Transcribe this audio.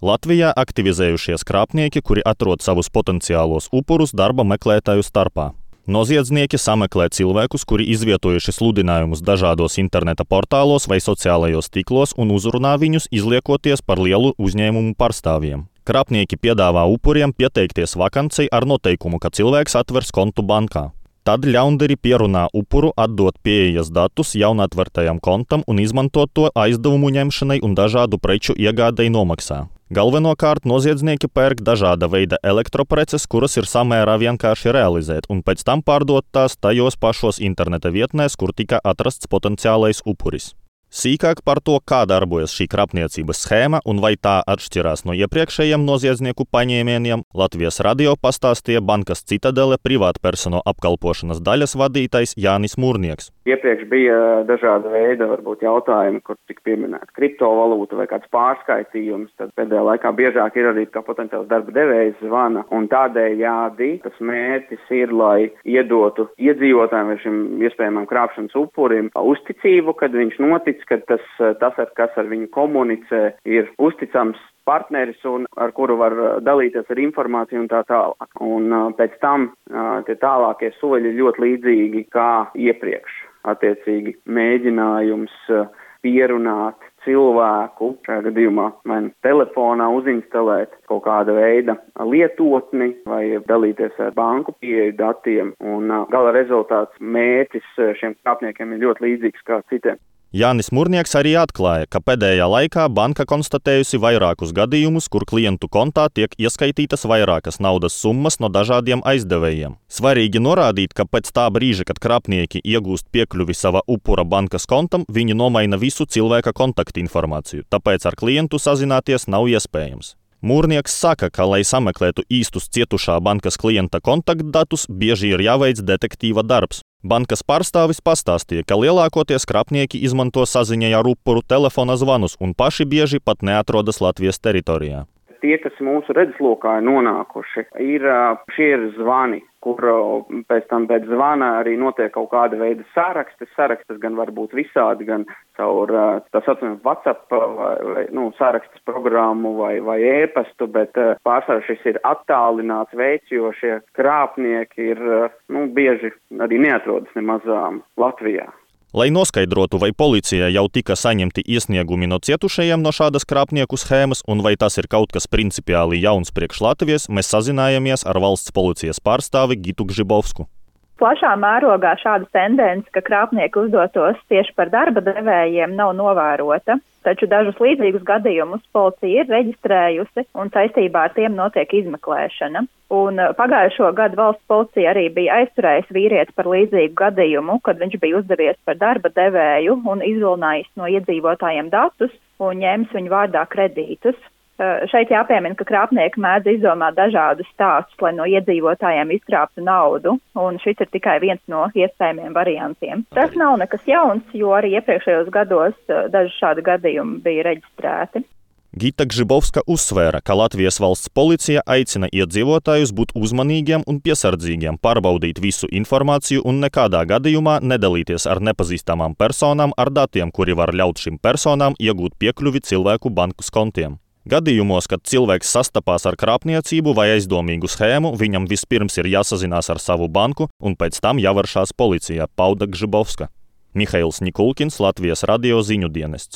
Latvijā aktivizējušies krāpnieki, kuri atrod savus potenciālos upurus darba meklētāju starpā. Noziedznieki sameklē cilvēkus, kuri izvietojuši sludinājumus dažādos interneta portālos vai sociālajos tīklos un uzrunā viņus, izliekoties par lielu uzņēmumu pārstāvjiem. Krāpnieki piedāvā upuriem pieteikties vakancei ar noteikumu, ka cilvēks atvers kontu bankā. Tad ļaundari pierunā upuru atdot pieejas datus jaunatvērtajam kontam un izmantot to aizdevumu ņemšanai un dažādu preču iegādei nomaksā. Galvenokārt noziedznieki pērk dažāda veida elektropreces, kuras ir samērā vienkārši realizēt, un pēc tam pārdot tās tajos pašos interneta vietnēs, kur tika atrasts potenciālais upuris. Sīkāk par to, kā darbojas šī krāpniecības schēma un vai tā atšķirās no iepriekšējiem noziedznieku paņēmieniem, Latvijas radio pastāstīja Bankas Citadele privātpersonu apkalpošanas daļas vadītājs Jānis Mūrnieks. Iepriekš bija dažāda veida varbūt jautājumi, kur tika pieminēta kriptovalūta vai kāds pārskaitījums, tad pēdējā laikā biežāk ir arī kā potenciāls darba devējs zvana, un tādējādi tas mērķis ir, lai iedotu iedzīvotājiem vai šim iespējamam krāpšanas upurim uzticību, kad viņš notic, ka tas, kas ar viņu komunicē, ir uzticams partneris un ar kuru var dalīties ar informāciju un tā tālāk. Un pēc tam tie tālākie soļi ir ļoti līdzīgi kā iepriekš. Attiecīgi mēģinājums pierunāt cilvēku, šajā gadījumā vai telefonā uzinstalēt kaut kāda veida lietotni vai dalīties ar banku pieeju datiem. Un gala rezultāts mērķis šiem krāpniekiem ir ļoti līdzīgs kā citiem. Jānis Mūrnieks arī atklāja, ka pēdējā laikā banka konstatējusi vairākus gadījumus, kur klientu kontā tiek ieskaitītas vairākas naudas summas no dažādiem aizdevējiem. Svarīgi norādīt, ka pēc tā brīža, kad krāpnieki iegūst piekļuvi sava upura bankas kontam, viņi nomaina visu cilvēka kontaktinformāciju, tāpēc ar klientu sazināties nav iespējams. Mūrnieks saka, ka, lai sameklētu īstus cietušā bankas klienta kontaktdatus, bieži ir jāveic detektīva darbs. Bankas pārstāvis pastāstīja, ka lielākoties krāpnieki izmanto saziņai ar upuru telefona zvanus un paši bieži pat neatrodas Latvijas teritorijā. Tie, kas mūsu redzeslokā ir nonākuši, šie ir zvani, kur pēc zvana arī notiek kaut kāda veida sārakstes. Sārakstes gan var būt visādi, gan caur tā saucamu WhatsApp vai sārakstes programmu vai e-pastu, bet pārsvarā šis ir attālināts veids, jo šie krāpnieki ir bieži arī neatrodas nemaz Latvijā. Lai noskaidrotu, vai policijai jau tika saņemti iesniegumi no cietušajiem no šādas krāpnieku schēmas un vai tas ir kaut kas principiāli jauns priekš Latvijas, mēs sazinājāmies ar valsts policijas pārstāvi Gitu Gžibovsku. Plašā mērogā šāda tendence, ka krāpnieki uzdotos tieši par darba devējiem, nav novērota, taču dažus līdzīgus gadījumus policija ir reģistrējusi un saistībā ar tiem notiek izmeklēšana. Un pagājušo gadu valsts policija arī bija aizturējusi vīrieti par līdzīgu gadījumu, kad viņš bija uzdevies par darba devēju un izvilinājis no iedzīvotājiem datus un ņēmis viņu vārdā kredītus. Šeit jāpiemina, ka krāpnieki mēdz izdomāt dažādus stāstus, lai no iedzīvotājiem izkrāptu naudu, un šis ir tikai viens no iespējamiem variantiem. Tas nav nekas jauns, jo arī iepriekšējos gados daži šādi gadījumi bija reģistrēti. Gita Gžibovska uzsvēra, ka Latvijas valsts policija aicina iedzīvotājus būt uzmanīgiem un piesardzīgiem, pārbaudīt visu informāciju un nekādā gadījumā nedalīties ar nepazīstamām personām ar datiem, kuri var ļaut šim personām iegūt piekļuvi cilvēku bankas kontiem. Gadījumos, kad cilvēks sastapās ar krāpniecību vai aizdomīgu schēmu, viņam vispirms ir jāsazinās ar savu banku un pēc tam jāvēršās policijā, pauda Gžibovska. Mihails Nikulkins, Latvijas radio ziņu dienests.